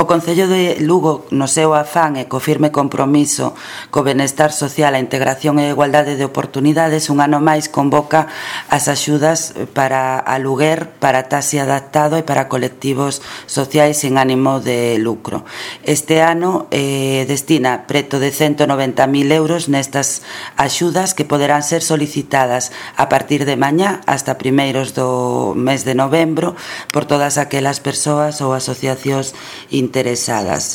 O Concello de Lugo, no seu afán e co firme compromiso co benestar social, a integración e a igualdade de oportunidades, un ano máis convoca as axudas para aluguer, para taxi adaptado e para colectivos sociais sin ánimo de lucro. Este ano destina preto de 190.000 euros nestas axudas que poderán ser solicitadas a partir de mañá hasta primeiros do mes de novembro por todas aquelas persoas ou asociacións interesadas.